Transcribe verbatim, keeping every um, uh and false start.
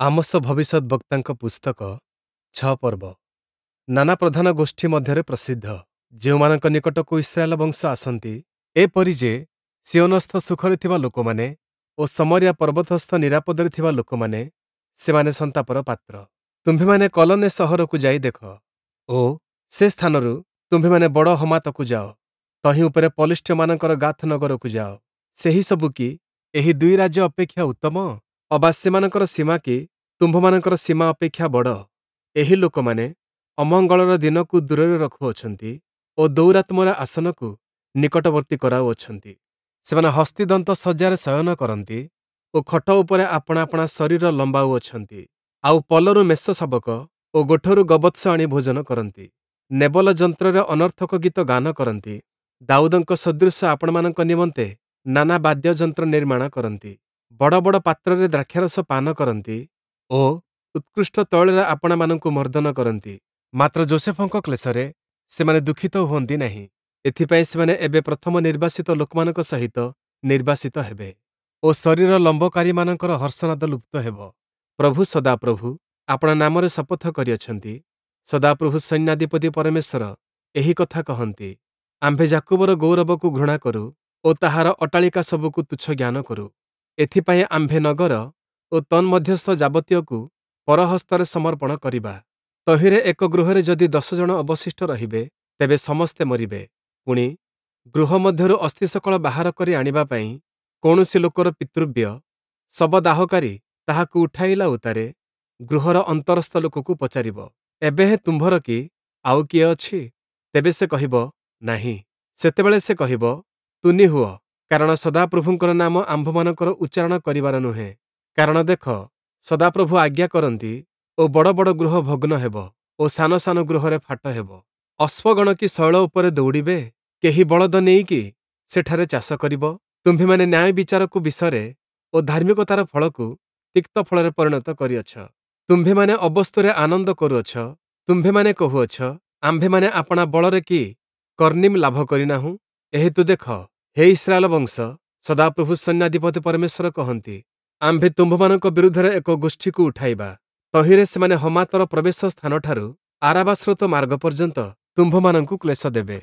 Amos ଭବିଷ୍ୟଦ୍‌ବକ୍ତାଙ୍କ ପୁସ୍ତକ ଛଅ ପର୍ବ ନାନା ପ୍ରଧାନ ଗୋଷ୍ଠୀ ମଧ୍ୟରେ ପ୍ରସିଦ୍ଧ, ଯେଉଁମାନଙ୍କ ନିକଟକୁ ଇସ୍ରାଏଲ ବଂଶ ଆସନ୍ତି, ଏପରି ଯେ ସିୟୋନସ୍ଥ ସୁଖରେ ଥିବା ଲୋକମାନେ ଓ ଶମରୀୟା ପର୍ବତସ୍ଥ ନିରାପଦରେ ଥିବା ଲୋକମାନେ, ସେମାନେ ସନ୍ତାପର ପାତ୍ର। ତୁମ୍ଭେମାନେ କଲନେ ସହରକୁ ଯାଇ ଦେଖ ଓ ସେ ସ୍ଥାନରୁ ତୁମ୍ଭେମାନେ ବଡ଼ ହମାତକୁ ଯାଅ, ତହିଁ ଉପରେ ପଲେଷ୍ଟୀୟମାନଙ୍କର ଗାଥ ନଗରକୁ ଯାଅ। ସେହିସବୁ କି ଏହି ଦୁଇ ରାଜ୍ୟ ଅପେକ୍ଷା ଉତ୍ତମ? ଅବା ସେମାନଙ୍କର ସୀମା କି ତୁମ୍ଭମାନଙ୍କର ସୀମା ଅପେକ୍ଷା ବଡ଼? ଏହି ଲୋକମାନେ ଅମଙ୍ଗଳର ଦିନକୁ ଦୂରରେ ରଖୁଅଛନ୍ତି ଓ ଦୌରାତ୍ମ୍ୟର ଆସନକୁ ନିକଟବର୍ତ୍ତୀ କରାଉଅଛନ୍ତି। ସେମାନେ ହସ୍ତୀଦନ୍ତ ଶଯ୍ୟାରେ ଶୟନ କରନ୍ତି ଓ ଖଟ ଉପରେ ଆପଣା ଆପଣା ଶରୀର ଲମ୍ବାଉଅଛନ୍ତି। ଆଉ ପଲରୁ ମେଷଶାବକ ଓ ଗୋଠରୁ ଗୋବତ୍ସ ଆଣି ଭୋଜନ କରନ୍ତି। ନେବଲ ଯନ୍ତ୍ରରେ ଅନର୍ଥକ ଗୀତ ଗାନ କରନ୍ତି। ଦାଉଦଙ୍କ ସଦୃଶ ଆପଣମାନଙ୍କ ନିମନ୍ତେ ନାନା ବାଦ୍ୟଯନ୍ତ୍ର ନିର୍ମାଣ କରନ୍ତି। ବଡ଼ ବଡ଼ ପାତ୍ରରେ ଦ୍ରାକ୍ଷାରସ ପାନ କରନ୍ତି ଓ ଉତ୍କୃଷ୍ଟ ତୈଳରେ ଆପଣାମାନଙ୍କୁ ମର୍ଦ୍ଦନ କରନ୍ତି। ମାତ୍ର ଯୋଷେଫଙ୍କ କ୍ଲେଶରେ ସେମାନେ ଦୁଃଖିତ ହୁଅନ୍ତି ନାହିଁ। ଏଥିପାଇଁ ସେମାନେ ଏବେ ପ୍ରଥମ ନିର୍ବାସିତ ଲୋକମାନଙ୍କ ସହିତ ନିର୍ବାସିତ ହେବେ ଓ ଶରୀର ଲମ୍ବକାରୀମାନଙ୍କର ହର୍ଷନାଦ ଲୁପ୍ତ ହେବ। ପ୍ରଭୁ ସଦାପ୍ରଭୁ ଆପଣା ନାମରେ ଶପଥ କରିଅଛନ୍ତି। ସଦାପ୍ରଭୁ ସୈନ୍ୟାଧିପତି ପରମେଶ୍ୱର ଏହି କଥା କହନ୍ତି, ଆମ୍ଭେ ଯାକୁବର ଗୌରବକୁ ଘୃଣା କରୁ ଓ ତାହାର ଅଟ୍ଟାଳିକା ସବୁକୁ ତୁଚ୍ଛ ଜ୍ଞାନ କରୁ। ଏଥିପାଇଁ ଆମ୍ଭେ ନଗର ଓ ତନ୍ମଧ୍ୟସ୍ଥ ଯାବତୀୟକୁ ପରହସ୍ତରେ ସମର୍ପଣ କରିବା। ତହିଁରେ ଏକ ଗୃହରେ ଯଦି ଦଶ ଜଣ ଅବଶିଷ୍ଟ ରହିବେ, ତେବେ ସମସ୍ତେ ମରିବେ। ପୁଣି, ଗୃହ ମଧ୍ୟରୁ ଅସ୍ଥିସକଳ ବାହାର କରି ଆଣିବା ପାଇଁ କୌଣସି ଲୋକର ପିତୃବ୍ୟ ଶବଦାହକାରୀ ତାହାକୁ ଉଠାଇଲା ଉତ୍ତାରେ ଗୃହର ଅନ୍ତରସ୍ଥ ଲୋକକୁ ପଚାରିବ, ଏବେ ହେଁ ତୁମ୍ଭର କି ଆଉ କିଏ ଅଛି? ତେବେ ସେ କହିବ, ନାହିଁ। ସେତେବେଳେ ସେ କହିବ, ତୁନି ହୁଅ, କାରଣ ସଦାପ୍ରଭୁଙ୍କର ନାମ ଆମ୍ଭମାନଙ୍କର ଉଚ୍ଚାରଣ କରିବାର ନୁହେଁ। କାରଣ ଦେଖ, ସଦାପ୍ରଭୁ ଆଜ୍ଞା କରନ୍ତି ଓ ବଡ଼ ବଡ଼ ଗୃହ ଭଗ୍ନ ହେବ ଓ ସାନ ସାନ ଗୃହରେ ଫାଟ ହେବ। ଅଶ୍ୱଗଣ କି ଶୈଳ ଉପରେ ଦୌଡ଼ିବେ? କେହି ବଳଦ ନେଇକି ସେଠାରେ ଚାଷ କରିବ? ତୁମ୍ଭେମାନେ ନ୍ୟାୟ ବିଚାରକୁ ବିଷରେ ଓ ଧାର୍ମିକତାର ଫଳକୁ ତିକ୍ତ ଫଳରେ ପରିଣତ କରିଅଛ। ତୁମ୍ଭେମାନେ ଅବସ୍ତୁରେ ଆନନ୍ଦ କରୁଅଛ। ତୁମ୍ଭେମାନେ କହୁଅଛ, ଆମ୍ଭେମାନେ ଆପଣା ବଳରେ କି କର୍ଣ୍ଣିମ୍ ଲାଭ କରିନାହୁଁ? ଏହେତୁ ଦେଖ, ହେ ଇସ୍ରାଏଲ ବଂଶ, ସଦାପ୍ରଭୁ ସୈନ୍ୟାଧିପତି ପରମେଶ୍ୱର କହନ୍ତି, ଆମ୍ଭେ ତୁମ୍ଭମାନଙ୍କ ବିରୁଦ୍ଧରେ ଏକ ଗୋଷ୍ଠୀକୁ ଉଠାଇବା। ତହିଁରେ ସେମାନେ ହମାତର ପ୍ରବେଶ ସ୍ଥାନଠାରୁ ଆରାବା ସ୍ରୋତ ମାର୍ଗ ପର୍ଯ୍ୟନ୍ତ ତୁମ୍ଭମାନଙ୍କୁ କ୍ଲେଶ ଦେବେ।